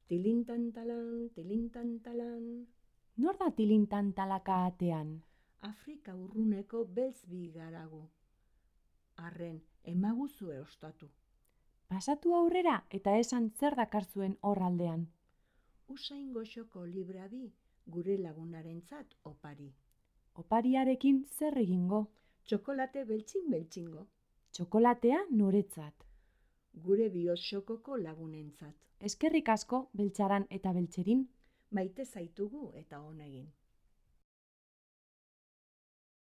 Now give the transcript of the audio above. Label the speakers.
Speaker 1: Tilintantalan.
Speaker 2: Nor da tilintantalaka atean?
Speaker 1: Afrika urruneko beltz bi garagu. Arren, emaguzue ostatu.
Speaker 2: Pasatu aurrera eta esan zer dakarzuen hor aldean.
Speaker 1: Usain goxoko libra bi gure lagunarentzat opari.
Speaker 2: Opariarekin zer egingo?
Speaker 1: Txokolate beltxingo.
Speaker 2: Txokolatea noretzat.
Speaker 1: Gure bihotxokoko lagunentzat.
Speaker 2: Eskerrik asko, Beltxaran eta Beltxerin.
Speaker 1: Maite zaitugu eta honegin.